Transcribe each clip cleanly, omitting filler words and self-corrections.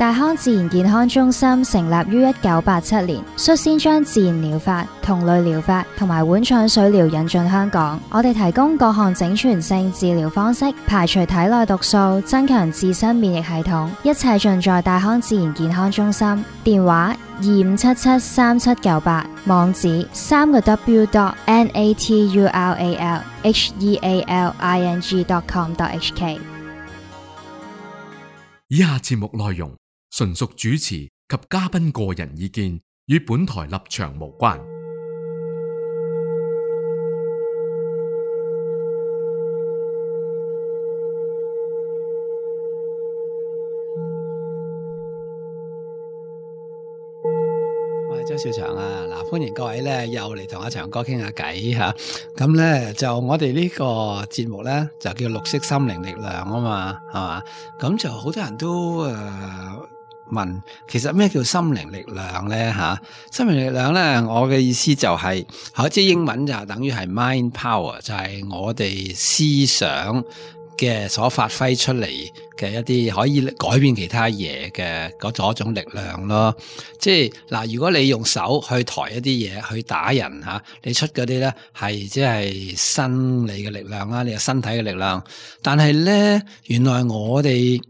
大康自然健康中心成立於1987年，率先將自然療法、同類療法同埋碗腸水療引進香港。我哋提供各項整全性治療方式，排除體內毒素，增強自身免疫系統，一切盡在大康自然健康中心。電話25773798，網址www.natural.healing.com.hk。以下節目內容純屬主持及嘉賓個人意見，與本台立場無關。我係周兆祥啊！嗱，歡迎各位咧又嚟同阿祥哥傾下偈吓。咁咧就我哋呢個節目咧就叫綠色心靈力量啊嘛，係嘛？咁就好多人都問，其實咩叫心靈力量咧吓？心靈力量咧，我嘅意思就係，即係英文就等於係 mind power，就係我哋思想嘅所發揮出嚟嘅一啲可以改變其他嘢嘅嗰種力量咯。即係嗱，如果你用手去抬一啲嘢去打人吓，你出嗰啲咧係即係生理嘅力量啦，你嘅身體嘅力量。但係咧，原來我哋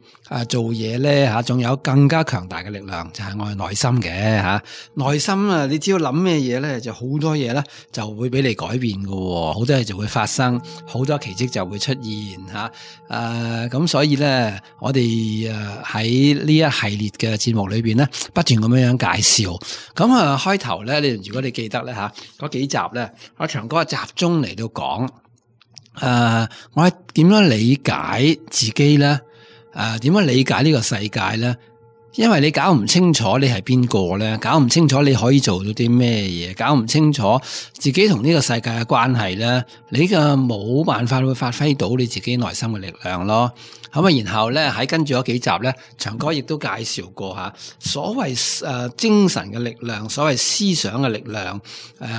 做嘢咧吓，仲有更加強大嘅力量，就係我哋內心嘅吓。內心啊，你只要諗咩嘢咧，就好多嘢咧就會俾你改變㗎，好多嘢就會發生，好多奇蹟就會出現吓。咁所以咧，我哋喺呢一系列嘅節目裏邊咧，不斷咁樣介紹。咁開頭咧，如果你記得咧吓，嗰幾集咧，阿祥哥集中嚟到講，我係點樣理解自己咧？點樣理解呢個世界咧？因為你搞唔清楚你係邊個咧，搞唔清楚你可以做到啲咩嘢，搞唔清楚自己同呢個世界嘅關係咧，你嘅冇辦法會發揮到你自己內心嘅力量咯。咁啊，然後咧喺跟住嗰幾集咧，祥哥亦都介紹過吓，所謂精神嘅力量，所謂思想嘅力量，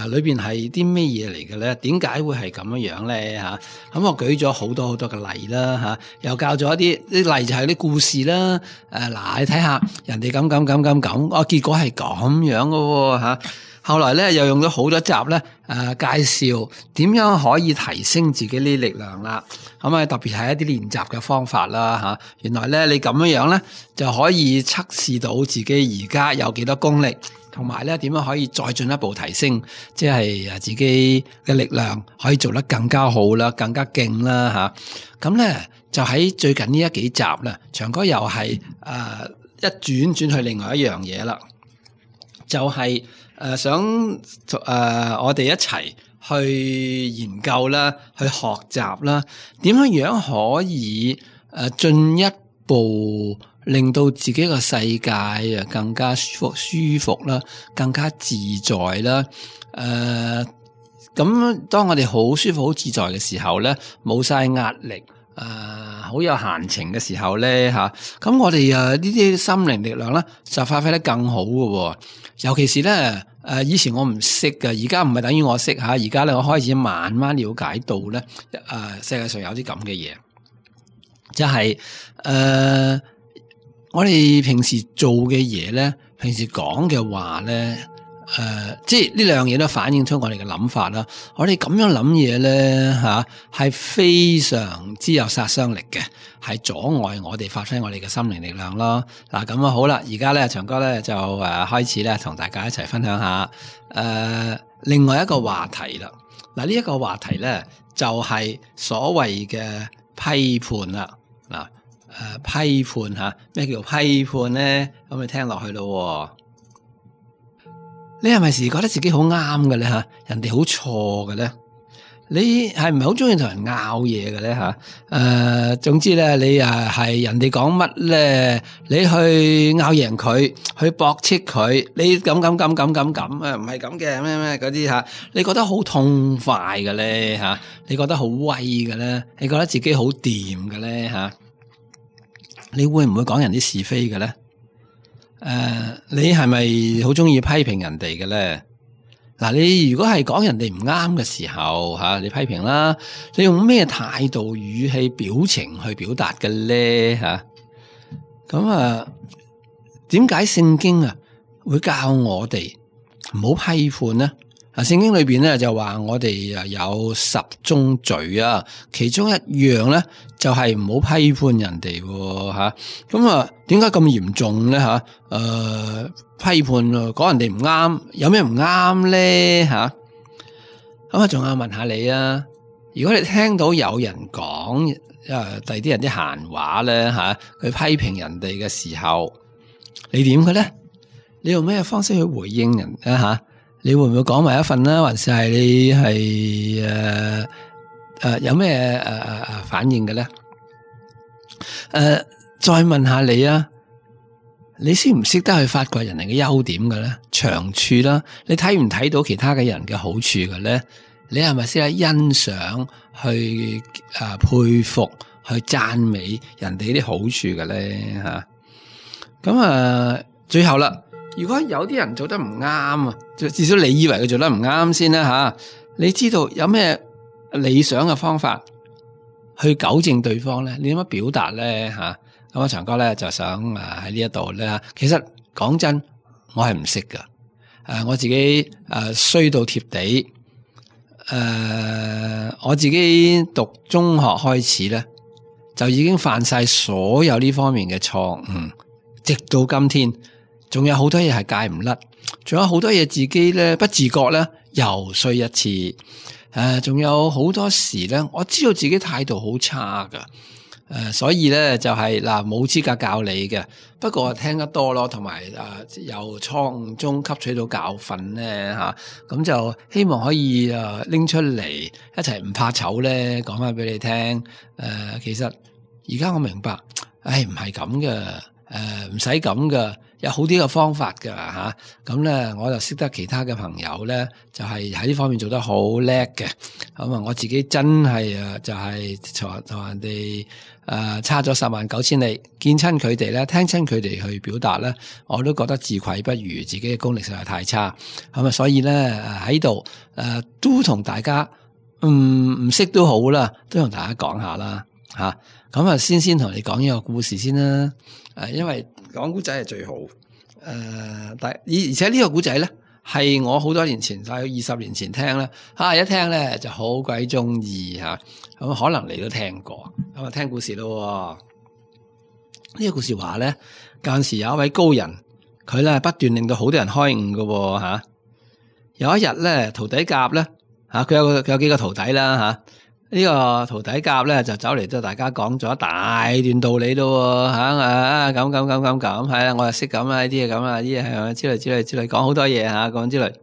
裏邊係啲咩嘢嚟嘅咧？點解會係咁樣咧？吓，咁我舉咗好多好多嘅例啦，吓，又教咗一啲例就係啲故事啦。嗱，你睇下人哋咁，結果係咁樣嘅吓。後來咧又用咗好多集咧，介紹點樣可以提升自己呢啲力量啦。咁啊，特別係一啲練習嘅方法啦吓。原來咧你咁樣咧就可以測試到自己而家有幾多功力，同埋咧點樣可以再進一步提升，即係自己嘅力量可以做得更加好啦，更加勁啦吓。咁咧就喺最近呢一幾集咧，祥哥又係一轉去另外一樣嘢啦，就係想我哋一齊去研究啦，去學習啦，點樣可以進一步令到自己個世界更加舒服啦，更加自在啦。咁當我哋好舒服、好自在嘅時候咧，冇晒壓力。好有閒情嘅時候咧吓，咁我哋呢啲心靈力量咧就發揮得更好嘅，尤其是咧以前我唔識嘅，而家唔係等於我識吓，而家咧我開始慢慢了解到咧，世界上有啲咁嘅嘢，即係我哋平時做嘅嘢咧，平時講嘅話咧。即係呢兩樣嘢都反映出我哋嘅諗法啦。我哋咁樣諗嘢咧，係非常之有殺傷力嘅，係阻礙我哋發揮我哋嘅心靈力量咯。嗱，咁好啦，而家咧，祥哥咧就開始咧同大家一齊分享下另外一個話題啦。嗱，呢一個話題咧就係所謂嘅批判啦。嗱，批判吓，咩叫批判咧？咁你聽落去咯。你係咪時覺得自己好啱嘅咧吓？人哋好錯嘅咧？你係唔係好中意同人拗嘢嘅咧吓？總之咧，你係人哋講乜咧，你去拗贏佢，去駁斥佢，你咁唔係咁嘅咩嗰啲吓？你覺得好痛快嘅咧吓？你覺得好威嘅咧？你覺得自己好掂嘅咧吓？你會唔會講人啲是非嘅咧？你係咪好中意批評人哋嘅咧？嗱，你如果係講人哋唔啱嘅時候吓，你批評啦，你用咩態度、語氣、表情去表達嘅咧吓？咁點解聖經啊會教我哋唔好批判呢？聖經裏邊咧就話我哋有10宗罪啊，其中一樣咧就係唔好批判人哋吓。咁啊，點解咁嚴重咧吓？批判講人哋唔啱，有咩唔啱咧吓？咁啊，仲有問下你啊，如果你聽到有人講第二啲人啲閒話咧吓，佢批評人哋嘅時候，你點嘅咧？你用咩方式去回應人啊吓？你會唔會講埋一份啦？還是係你係有咩反應嘅咧？再問下你啊，你識唔識得去發掘人哋嘅優點嘅咧？長處啦，你睇唔睇到其他嘅人嘅好處嘅咧？你係咪識得欣賞、去佩服、去讚美人哋啲好處嘅咧？吓，咁最後啦。如果有啲人做得唔啱啊，至少你以為佢做得唔啱先啦吓，你知道有咩理想嘅方法去糾正對方咧？你點樣表達咧吓？咁啊，長哥咧就想喺呢一度咧，其實講真，我係唔識噶，我自己衰到貼地，我自己讀中學開始咧，就已經犯晒所有呢方面嘅錯誤，直到今天。仲有好多嘢係戒唔甩，仲有好多嘢自己咧不自覺咧又衰一次，仲有好多時咧，我知道自己態度好差噶，所以咧就係冇資格教你嘅，不過聽得多咯，同埋由錯誤中吸取到教訓咧吓，咁就希望可以拎出嚟一齊唔怕醜咧，講翻俾你聽。其實而家我明白，唔係咁嘅，唔使咁嘅。有好啲嘅方法㗎吓，咁咧我就識得其他嘅朋友咧，就係喺呢方面做得好叻嘅。咁啊，我自己真係就係同人哋差咗10萬9千里，見親佢哋咧，聽親佢哋去表達咧，我都覺得自愧不如，自己嘅功力實在太差。咁啊，所以咧喺度都同大家唔識都好啦，都同大家講下啦吓。咁啊，先同你講呢個故事先啦。因為講古仔係最好，而且呢個古仔咧係我好多年前，大概20年前聽啦，一聽咧就好鬼中意吓，咁可能你都聽過，咁啊聽故事咯。呢個故事話咧，舊時有一位高人，佢咧不斷令到好多人開悟㗎吓。有一日咧，徒弟甲咧佢有幾個徒弟啦吓。呢個徒弟甲咧就走嚟都大家講咗一大段道理咯吓，咁係啦，我又識咁啊，呢啲嘢咁啊，呢啲係之類講好多嘢吓，講之類。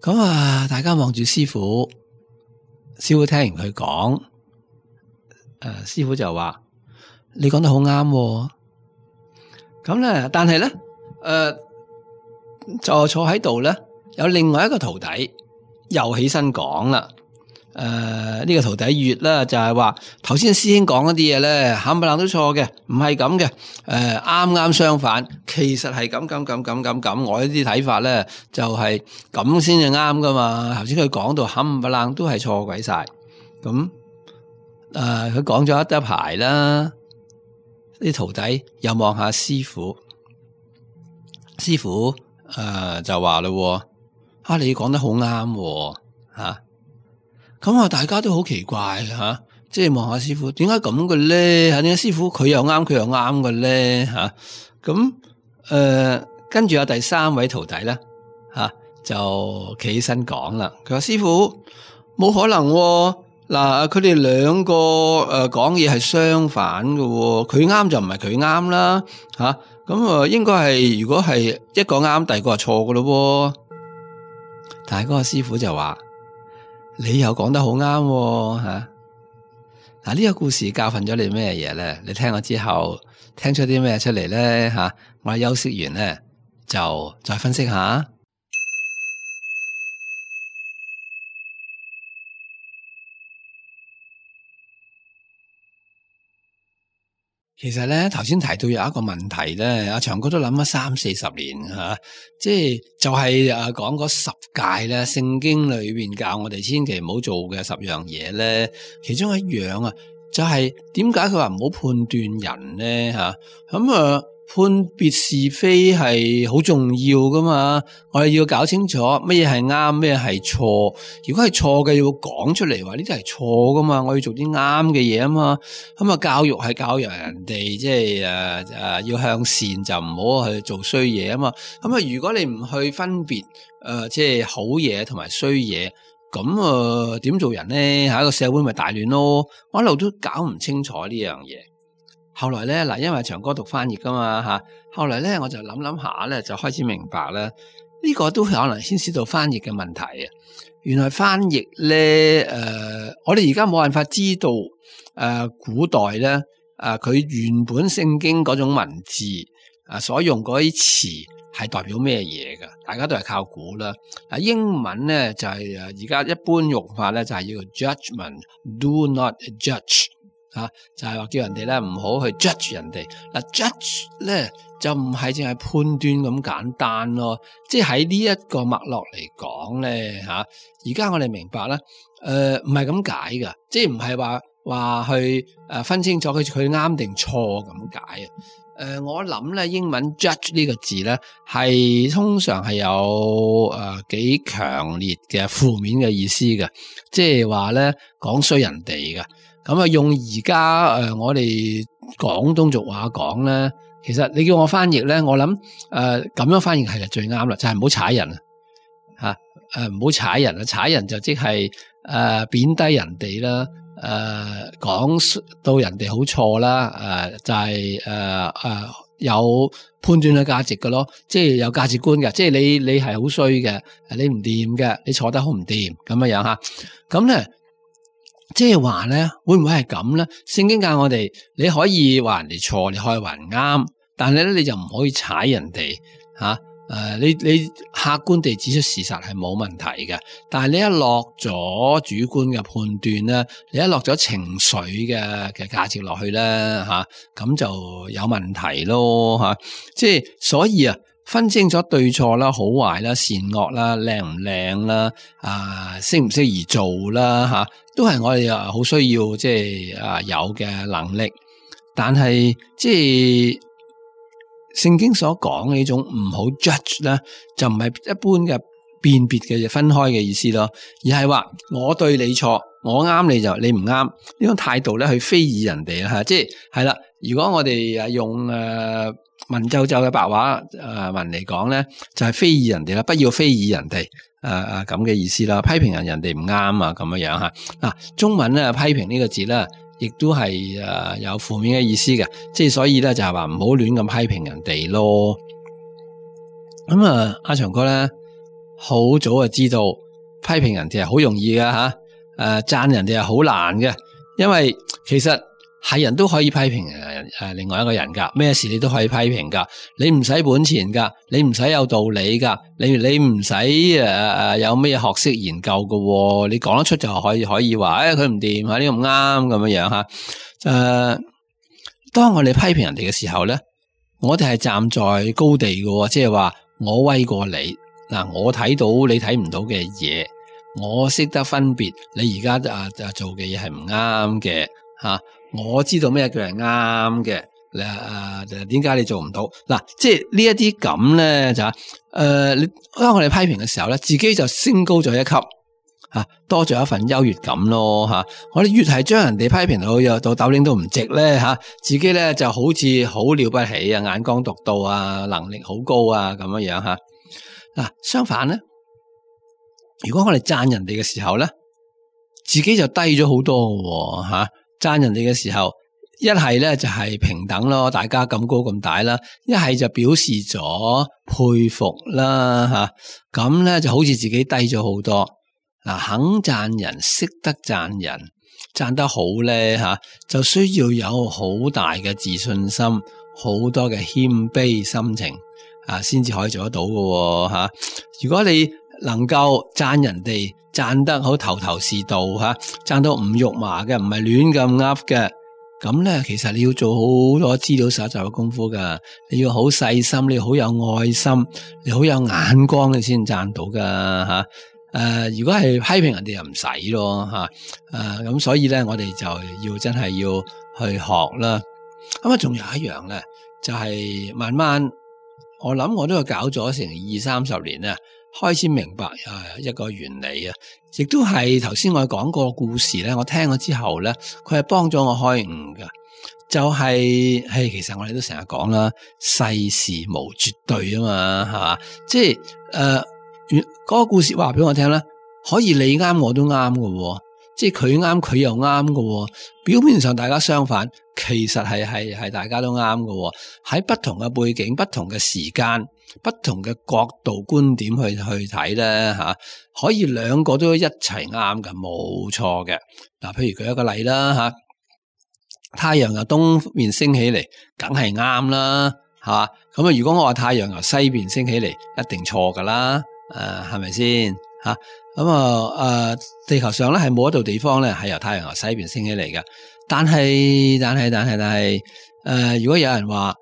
咁大家望住師傅聽完佢講，師傅就話你講得好啱。咁咧，但係咧，就坐喺度咧，有另外一個徒弟又起身講啦。呢個徒弟乙啦，就係話頭先師兄講嗰啲嘢咧，冚唪唥都錯嘅，唔係咁嘅，啱相反，其實係咁，我呢啲睇法咧就係咁先至啱噶嘛。頭先佢講到冚唪唥都係錯鬼晒，咁佢講咗一排啦，啲徒弟又望下師傅，師傅就話咯，你講得好啱吓。咁大家都好奇怪吓，即係望下師傅，點解咁嘅咧？點解師傅佢又啱，佢又啱嘅咧？吓，咁跟住有第3位徒弟咧吓，就企起身講啦。佢話師傅冇可能嗱，佢哋兩個講嘢係相反嘅，佢啱就唔係佢啱啦吓。咁應該係如果係一個啱，第二個係錯嘅咯。但係嗰個師傅就話。你又講得好啱吓，嗱，呢個故事教訓咗你咩嘢咧？你聽咗之後聽出啲咩出嚟咧吓？我哋休息完咧就再分析下。其實咧，頭先提到有一個問題咧，阿長哥都諗咗30-40年吓，就係講嗰10誡咧，聖經裏邊教我哋千祈唔好做嘅10樣嘢咧，其中一樣就係點解佢話唔好判斷人咧吓？咁判別是非係好重要噶嘛，我哋要搞清楚乜嘢係啱，咩係錯。如果係錯嘅，要講出嚟話呢啲係錯噶嘛，我要做啲啱嘅嘢啊嘛。咁啊，教育係教育人哋，即係要向善，就唔好去做衰嘢啊嘛。咁啊，如果你唔去分別即係好嘢同埋衰嘢，咁點做人咧？下一個社會咪大亂咯。我一路都搞唔清楚呢樣嘢。後來咧，嗱，因為長哥讀翻譯噶嘛吓，後來咧我就諗下咧，就開始明白啦。呢個都可能牽涉到翻譯嘅問題啊。原來翻譯咧，我哋而家冇辦法知道古代咧，佢原本聖經嗰種文字所用嗰啲詞係代表咩嘢噶？大家都係靠估啦。英文咧就係而家一般用法咧就係要 judgment，do not judge。就係話叫人哋咧唔好去 judge 人哋。judge 咧就唔係淨係判斷咁簡單咯，即係喺呢一個脈絡嚟講咧而家我哋明白啦，唔係咁解噶，即係唔係話去分清楚佢啱定錯咁解啊。我諗咧英文 judge 呢個字咧係通常係有幾強烈嘅負面嘅意思嘅，即係話咧講衰人哋嘅。咁啊，用而家我哋廣東俗話講咧，其實你叫我翻譯咧，我諗咁樣翻譯係最啱啦，就係唔好踩人唔好踩人啊！踩人就即係貶低人哋啦，講到人哋好錯啦，就係有判斷嘅價值嘅咯，即係有價值觀嘅，即係你係好衰嘅，你唔掂嘅，你坐得好唔掂咁樣吓，咁咧。即係話咧，會唔會係咁咧？聖經教我哋，你可以話人哋錯，你可以話人啱，但係咧你就唔可以踩人哋吓。你客觀地指出事實係冇問題嘅，但係你一落咗主觀嘅判斷咧，你一落咗情緒嘅價值落去咧吓，咁就有問題咯吓。即係所以啊。分清楚對錯啦、好壞啦、善惡啦、靚唔靚啦、適唔適宜做啦都係我哋好需要即係有嘅能力。但係即係聖經所講嘅呢種唔好 judge 咧，就唔係一般嘅辨別嘅分開嘅意思咯，而係話我對你錯，我啱你就你唔啱呢種態度咧去非議人哋啦，即係啦。如果我哋用文縐縐嘅白話文嚟講咧，就係非議人哋啦，不要非議人哋咁嘅意思啦，批評人哋唔啱啊咁樣樣吓。嗱，中文咧批評呢個字咧，亦都係有負面嘅意思嘅，即係所以咧就係話唔好亂咁批評人哋咯。咁阿長哥咧好早就知道批評人哋係好容易嘅吓，讚人哋係好難嘅，因為其實。係人都可以批評另外一個人噶，咩事你都可以批評噶，你唔使本錢噶，你唔使有道理噶，你唔使有咩學識研究噶，你講得出就可以話，佢唔掂，呢個唔啱咁樣吓。當我哋批評人哋嘅時候咧，我哋係站在高地嘅，即係話我威過你，我睇到你睇唔到嘅嘢，我識得分別你而家做嘅嘢係唔啱嘅吓。我知道咩叫係啱嘅，點解你做唔到？嗱，即係呢一啲咁咧就當我哋批評嘅時候咧，自己就升高咗一級，多咗一份優越感咯吓。我哋越係將人哋批評到斗零都唔值咧吓，自己咧就好似好了不起啊，眼光獨到啊，能力好高啊咁樣樣吓。嗱，相反咧，如果我哋讚人哋嘅時候咧，自己就低咗好多嘅吓。讚人哋嘅時候，一係咧就係平等咯，大家咁高咁大啦；一係就表示咗佩服啦吓，咁咧就好似自己低咗好多。肯讚人，識得讚人，讚得好咧吓，就需要有好大嘅自信心，好多嘅謙卑心情先至可以做得到嘅吓。如果你能夠讚人哋，讚得好頭頭是道讚到唔肉麻嘅，唔係亂咁噏嘅，咁咧其實你要做好多資料搜集嘅功夫噶，你要好細心，你要好有愛心，你好有眼光，你先讚到噶如果係批評人哋又唔使咯咁所以咧我哋就要真係要去學啦。咁仲有一樣咧，就係慢慢，我諗我都係搞咗成20-30年啦，開始明白一個原理啊，亦都係頭先我講過故事咧，我聽咗之後咧，佢係幫咗我開悟噶。就係其實我哋都成日講啦，世事無絕對啊嘛，係嘛？即係嗰個故事話俾我聽咧，可以你啱我都啱喎，即係佢啱佢又啱喎。表面上大家相反，其實係大家都啱喎。喺不同嘅背景、不同嘅時間、不同嘅角度觀點去睇咧吓，可以兩個都一齊啱嘅，冇錯嘅。嗱，譬如舉一個例啦吓。太陽由東面升起嚟，梗係啱啦，係嘛？咁啊，如果我話太陽由西邊升起嚟，一定錯噶啦，係咪先吓？咁地球上咧係冇一度地方咧係由太陽由西邊升起嚟嘅。但係，如果有人話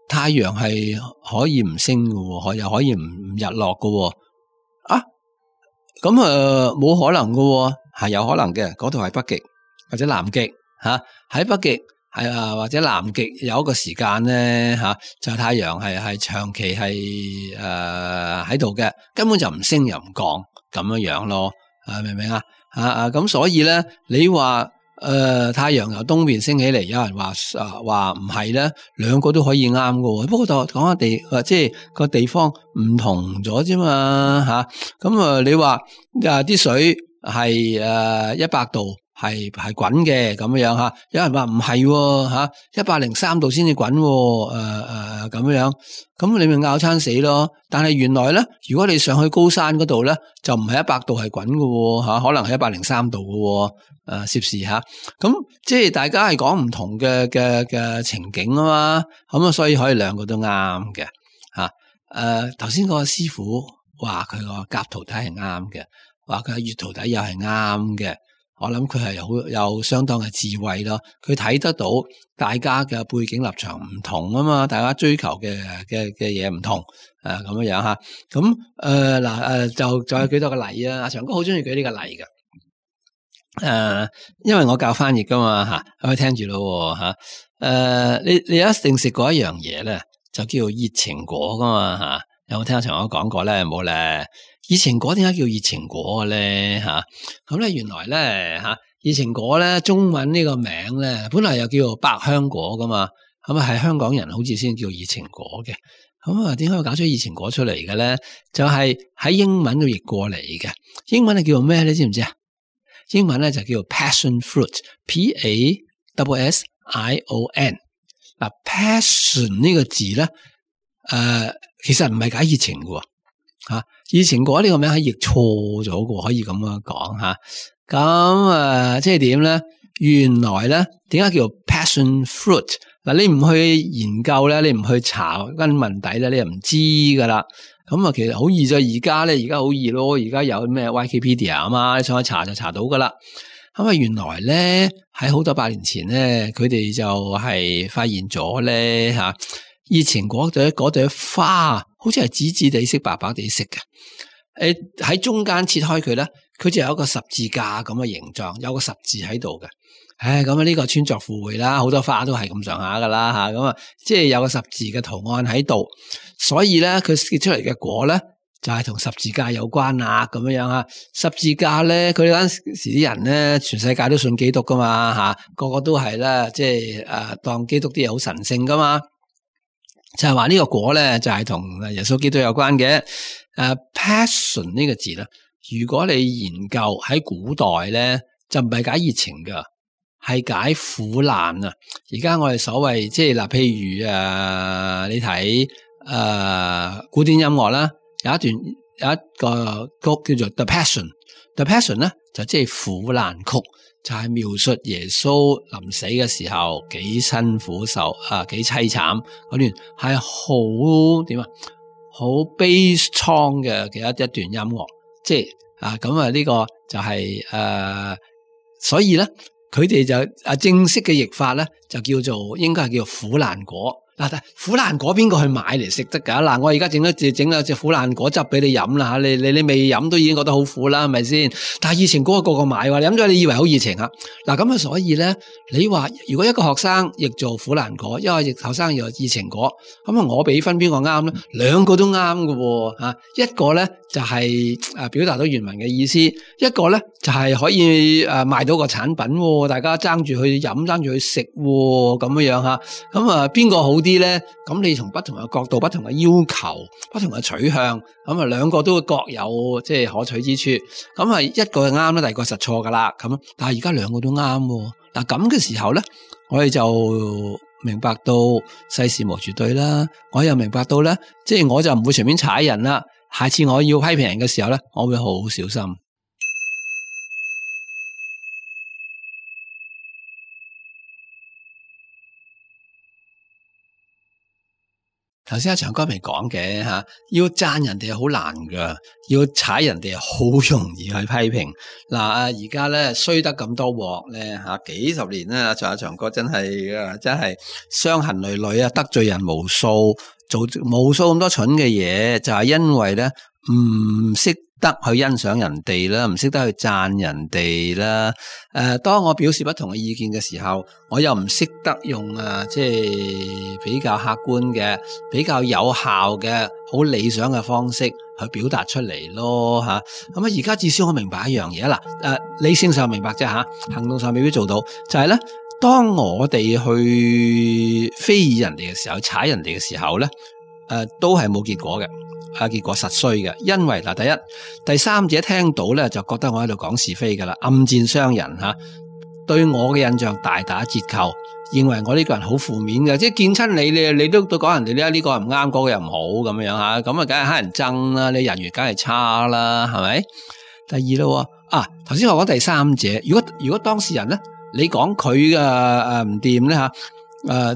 太陽係可以唔升嘅，又可以唔日落嘅，咁冇可能嘅，係有可能嘅。嗰度係北極或者南極。喺北極或者南極有一個時間咧就係太陽係長期係喺度嘅，根本就唔升又唔降咁樣咯，明唔明啊？咁所以咧，你話太陽由東邊升起嚟，有人話唔係咧，兩個都可以啱喎。不過就講下即係個地方唔同咗啫嘛，咁你話啲水係100度。係滾嘅咁樣吓，有人話唔係吓，103度先至滾咁樣，咁你咪拗餐死咯。但係原來咧，如果你上去高山嗰度咧，就唔係100度係滾嘅吓，可能係103度嘅攝氏吓。咁即係大家係講唔同嘅情景啊嘛，咁所以可以兩個都啱嘅吓。頭先個師傅話佢個甲徒弟係啱嘅，話佢乙徒弟又係啱嘅。我諗佢係有相當嘅智慧咯，佢睇得到大家嘅背景立場唔同啊嘛，大家追求嘅嘢唔同，咁樣吓，咁就再舉多個例啊，阿長哥好中意舉呢個例噶，因為我教翻譯噶嘛吓，可以聽住咯吓，你一定食過一樣嘢咧，就叫做熱情果噶嘛吓，有冇聽阿長哥講過咧？冇咧。熱情果點解叫熱情果嘅咧吓？咁咧原來咧吓，熱情果咧中文呢個名咧本來又叫做百香果噶嘛，咁係香港人好似先叫熱情果嘅。咁點解會搞出熱情果出嚟嘅咧？就係喺英文度譯過嚟嘅。英文係叫做咩咧？知唔知啊？英文咧就叫做 passion fruit，Passion。嗱，passion 呢個字咧，其實唔係解熱情嘅。熱情果呢個名係譯錯咗嘅，可以咁樣講吓。咁即係點咧？原來咧，點解叫做 passion fruit？嗱，你唔去研究咧，你唔去查根問底咧，你又唔知噶啦。咁其實好易啫，而家好易咯，而家有咩 Wikipedia 啊嘛，你上去查就查到噶啦。咁原來咧喺好多百年前咧，佢哋就係發現咗咧吓。熱情果嗰朵花，好似係紫紫地色、白白地色嘅。喺中間切開佢咧，佢就有一個十字架咁嘅形狀，有個十字喺度嘅。咁呢個穿鑿附會啦，好多花都係咁上下噶啦吓。咁即係有個十字嘅圖案喺度，所以咧佢結出嚟嘅果咧就係同十字架有關啦。咁樣啊，十字架咧，佢哋嗰陣時啲人咧，全世界都信基督噶嘛吓，個個都係啦，即係當基督啲嘢好神聖噶嘛。就係話呢個果咧，就係同耶穌基督有關嘅。passion 呢個字咧，如果你研究喺古代咧，就唔係解熱情噶，係解苦難啊。而家我哋所謂即係嗱，譬如你睇古典音樂啦，有一個曲叫做 The Passion。The Passion 咧就即係苦難曲。就係描述耶穌臨死嘅時候幾辛苦受幾淒慘嗰段，係好點啊，好悲愴嘅一段音樂，即係咁呢個就係所以咧佢哋就正式嘅譯法咧就叫做應該係叫做苦難果，嗱，苦蘭果邊個去買嚟食得㗎？嗱，我而家整咗隻苦蘭果汁俾你飲啦嚇，你未飲都已經覺得好苦啦，係咪先？但係熱情果個個買喎，你飲咗你以為好熱情啊？嗱咁啊，所以咧，你話如果一個學生譯做苦蘭果，一個學生又熱情果，咁啊，我俾分邊個啱咧？兩個都啱㗎喎嚇，一個咧就係表達到原文嘅意思，一個咧就係可以賣到個產品喎，大家爭住去飲，爭住去食喎，咁樣嚇，咁啊邊個好啲咧？咁你從不同嘅角度、不同嘅要求、不同嘅取向，咁啊兩個都各有即係可取之處。咁啊一個係啱啦，第二個實錯噶啦。咁但係而家兩個都啱喎。嗱咁嘅時候咧，我哋就明白到世事無絕對啦。我又明白到咧，即係我就唔會隨便踩人啦。下次我要批評人嘅時候咧，我會好小心。頭先阿長哥未講嘅吓，要讚人哋係好難噶，要踩人哋係好容易去批評。嗱而家咧衰得咁多鑊咧吓，幾十年啦，阿長哥真係傷痕累累啊，得罪人無數，做無數咁多蠢嘅嘢，就係因為咧唔識得去欣賞人哋啦，唔識得去讚人哋啦。當我表示不同嘅意見嘅時候，我又唔識得用即係比較客觀嘅、比較有效嘅、好理想嘅方式去表達出嚟咯吓。咁而家至少我明白一樣嘢啦。理性上明白啫吓，行動上未必做到。就係咧，當我哋去非議人哋嘅時候，踩人哋嘅時候咧，都係冇結果嘅。結果實衰嘅，因為嗱，第一、第三者聽到咧就覺得我喺度講是非噶啦，暗箭傷人吓，對我嘅印象大打折扣，認為我呢個人好負面嘅，即係見親你都講人哋呢個又唔啱，嗰個又唔好咁樣吓，咁啊梗係乞人憎啦，你人緣梗係差啦，係咪？第二咯，頭先我講第三者，如果當事人咧，你講佢嘅唔掂咧吓。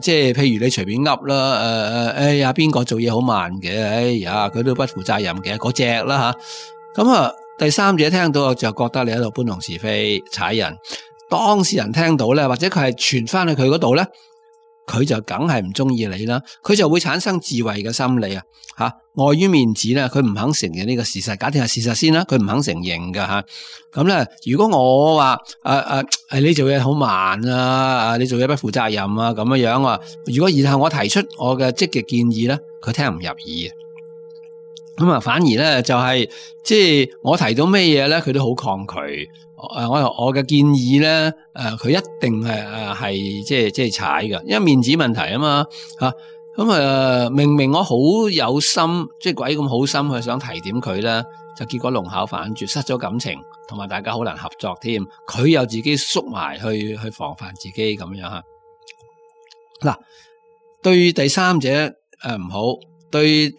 即係譬如你隨便噏啦，哎呀邊個做嘢好慢嘅，哎呀佢都不負責任嘅嗰隻啦吓，咁第三者聽到就覺得你喺度搬弄是非踩人，當事人聽到咧，或者佢係傳翻去佢嗰度咧，佢就梗係唔中意你啦，佢就會產生自衛嘅心理吓，礙於面子咧，佢唔肯承認呢個事實，假定係事實先啦，佢唔肯承認噶吓。咁咧，如果我話你做嘢好慢啊，你做嘢不負責任啊，咁樣啊，如果然後我提出我嘅積極建議咧，佢聽唔入耳嘅。咁反而咧就係即係我提到咩嘢咧，佢都好抗拒。我嘅建議咧，佢一定係即係踩㗎，因為面子問題啊嘛吓。咁明明我好有心，即係鬼咁好心去想提點佢咧，就結果弄巧反拙，失咗感情，同埋大家好難合作添。佢又自己縮埋去防範自己咁樣吓。嗱，對第三者唔好，對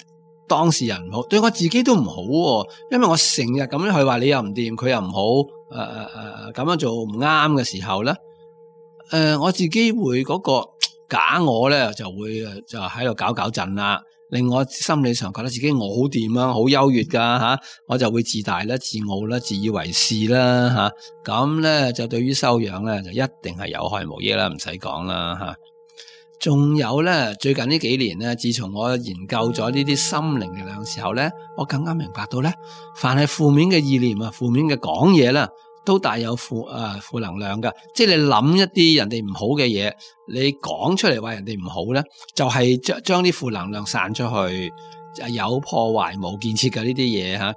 當事人唔好，對我自己都唔好喎，因為我成日咁樣去話你又唔掂，佢又唔好，咁樣做唔啱嘅時候咧，我自己會嗰個假我咧就會就喺度搞震啦，令我心理上覺得自己我好掂啊，好優越噶吓，我就會自大啦、自傲啦、自以為是啦吓，咁咧就對於修養咧就一定係有害無益啦，唔使講啦吓。仲有咧，最近呢幾年咧，自從我研究咗呢啲心靈力量嘅時候咧，我更加明白到咧，凡係負面嘅意念啊、負面嘅講嘢啦，都帶有負能量噶。即係你諗一啲人哋唔好嘅嘢，你講出嚟話人哋唔好咧，就係將啲負能量散出去，有破壞冇建設嘅呢啲嘢吓。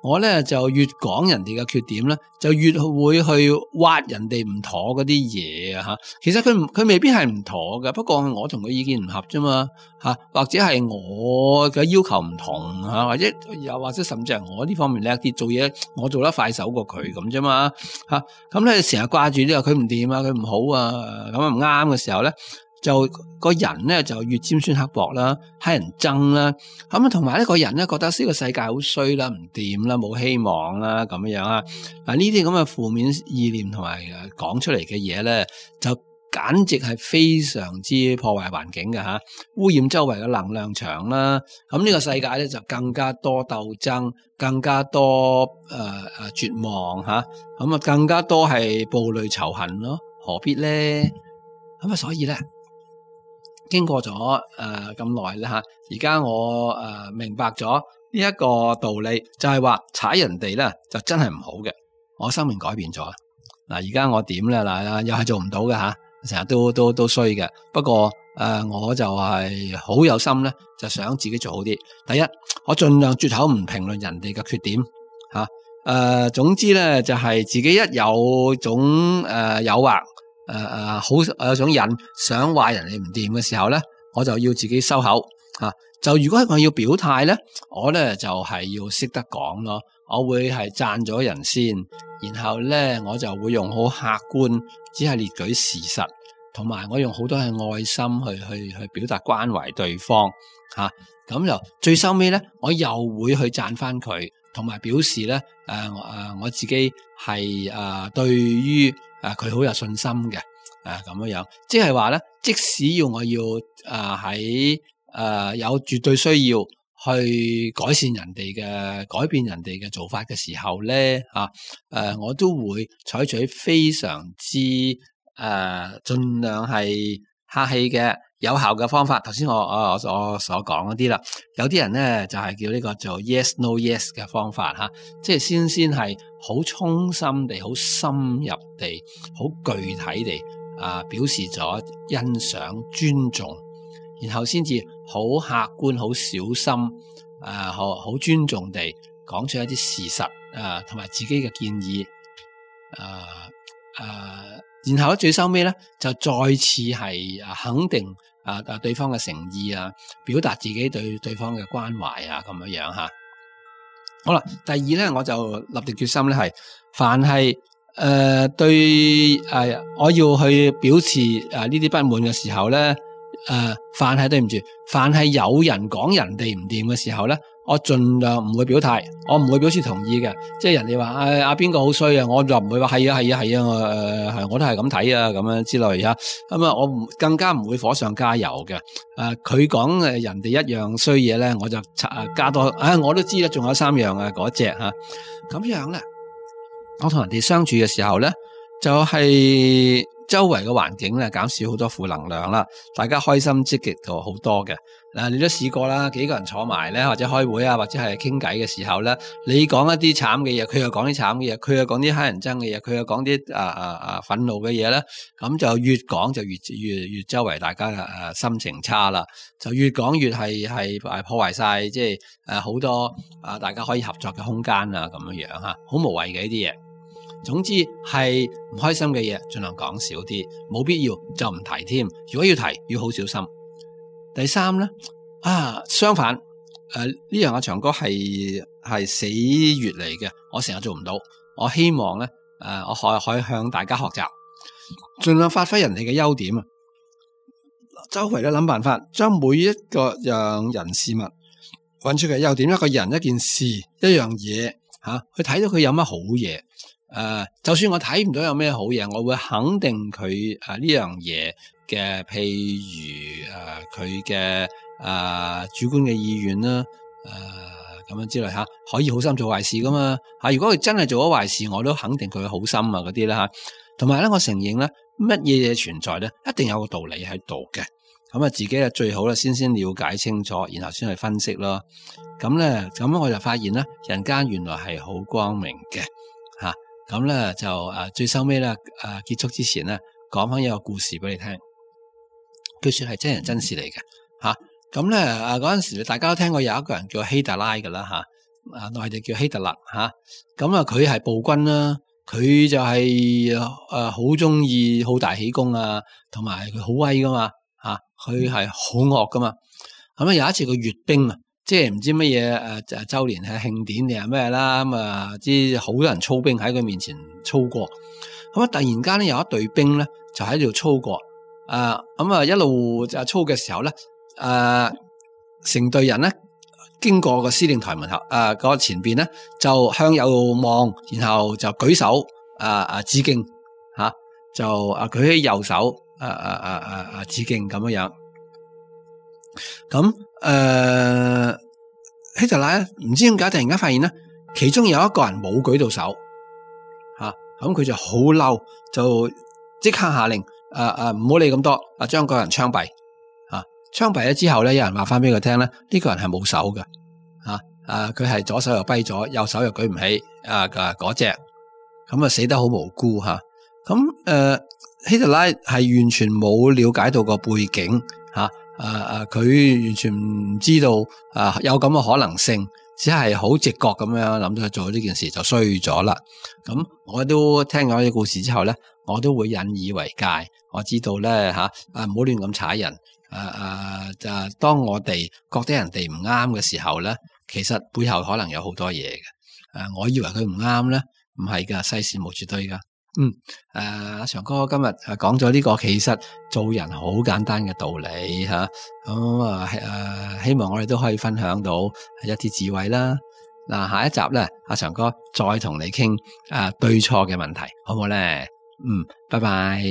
我咧就越講人哋嘅缺點咧，就越會去挖人哋唔妥嗰啲嘢吓。其實佢未必係唔妥嘅，不過我同佢意見唔合啫嘛吓，或者係我嘅要求唔同吓，或者甚至係我呢方面叻啲，做嘢我做得快手過佢咁啫嘛吓。咁咧成日掛住呢個佢唔掂啊，佢唔好啊，咁唔啱嘅時候咧，就個人咧就越尖酸刻薄啦，乞人憎啦，咁同埋呢個人咧覺得呢個世界好衰啦，唔掂啦，冇希望啦，咁樣啊。嗱呢啲咁嘅負面意念同埋講出嚟嘅嘢咧，就簡直係非常之破壞環境嘅吓，污染周圍嘅能量場啦。咁呢個世界咧就更加多鬥爭，更加多絕望吓，咁啊更加多係暴戾仇恨咯，何必咧？咁所以咧。經過咗咁耐啦吓，而家我明白咗呢一個道理，就係話踩人哋咧就真係唔好嘅。我生命改變咗嗱，而家我點咧嗱，又係做唔到嘅吓，成日都衰嘅。不過我就係好有心咧，就想自己做好啲。第一，我盡量絕口唔評論人哋嘅缺點吓。總之咧就係自己一有種誘惑，好有種癮想話人哋唔掂嘅時候咧，我就要自己收口吓。就如果我要表態咧，我咧就係要識得講咯。我會係讚咗人先，然後咧我就會用好客觀，只係列舉事實，同埋我用好多嘅愛心去表達關懷對方吓。咁就最收尾咧，我又會去讚翻佢，同埋表示咧我自己係對於佢好有信心嘅咁樣，即係話咧，即使我要喺有絕對需要去改善人哋嘅改變人哋嘅做法嘅時候咧我都會採取非常之盡量係客氣嘅有效嘅方法。頭先我所講嗰啲啦，有啲人咧就係叫呢個做 yes no yes 嘅方法即係先係好衷心地、好深入地、好具體地表示咗欣賞、尊重，然後先至好客觀、好小心好尊重地講出一啲事實同埋自己嘅建議然後最收尾咧就再次係肯定對方嘅誠意表達自己對對方嘅關懷咁樣吓。好啦，第二咧我就立定決心咧係，凡係對我要去表示呢啲不滿嘅時候咧，凡係對唔住，凡係有人講人哋唔掂嘅時候咧，我盡量唔會表態，我唔會表示同意嘅。即係人哋話阿邊個好衰啊，我就唔會話係啊，我都係咁睇啊咁樣之類咁我更加唔會火上加油嘅。佢講人哋一樣衰嘢咧，我就加多我都知啦，仲有3樣嗰隻咁樣咧。我同人哋相處嘅時候咧，就係周圍嘅環境咧減少好多負能量啦，大家開心積極到好多嘅。你都試過啦，幾個人坐埋咧，或者開會或者係傾偈嘅時候咧，你講一啲慘嘅嘢，佢又講啲慘嘅嘢，佢又講啲乞人憎嘅嘢，佢又講啲憤怒嘅嘢咧，咁就越講就越周圍大家心情差啦，就越講越係破壞晒，即係好多大家可以合作嘅空間咁樣好無謂嘅呢啲嘢。總之係唔開心嘅嘢盡量講少啲，冇必要就唔提添。如果要提，要好小心。第三咧相反呢樣阿長哥係死穴嚟嘅，我成日做唔到。我希望咧我可以向大家學習，盡量發揮人哋嘅優點周圍都諗辦法，將每一個樣人事物揾出嘅優點，一個人、一件事、一樣嘢去睇到佢有乜好嘢。就算我睇唔到有咩好嘢，我會肯定佢呢樣嘢嘅，譬如佢嘅主觀嘅意願啦，咁樣之類可以好心做壞事噶嘛如果佢真係做咗壞事，我都肯定佢嘅好心嗰啲啦同埋咧，我承認咧，乜嘢嘢存在咧，一定有個道理喺度嘅。咁自己咧最好咧先了解清楚，然後先去分析咯。咁我就發現咧，人間原來係好光明嘅咁咧就最收尾咧結束之前咧，講翻一個故事俾你聽。據說係真人真事嚟嘅咁咧嗰陣時大家都聽過有一個人叫希特拉㗎啦內地叫希特勒咁佢係暴君啦，佢就係好中意好大喜功同埋佢好威噶嘛佢係好惡噶嘛。咁有一次佢閱兵即係唔知乜嘢周年係慶典定係咩啦，知好多人操兵喺佢面前操過。突然間咧有一隊兵咧就喺度操過，一路就操嘅時候咧，成隊人咧經過個司令台門口個前邊咧就向右望，然後就舉手致敬就舉起右手致敬咁樣。咁希特拉唔知點解突然間發現咧，其中有一個人冇舉到手咁佢就好嬲，就即刻下令唔好理咁多，將嗰個人槍斃槍斃咗之後咧，有人話翻俾佢聽咧，呢個人係冇手嘅，佢係左手又跛咗，右手又舉唔起，嗰隻，咁啊死得好無辜吓。咁希特拉係完全冇了解到個背景吓，佢完全唔知道有咁嘅可能性，只係好直覺咁樣諗到去做呢件事就衰咗啦。咁我都聽咗呢個故事之後咧，我都會引以為戒。我知道咧唔好亂咁踩人。就當我哋覺得人哋唔啱嘅時候咧，其實背後可能有好多嘢嘅。我以為佢唔啱咧，唔係噶，世事無絕對噶。阿長哥今日講咗呢個，其實做人好簡單嘅道理吓，希望我哋都可以分享到一啲智慧啦。嗱，下一集咧，阿長哥再同你傾對錯嘅問題，好唔好咧？拜拜。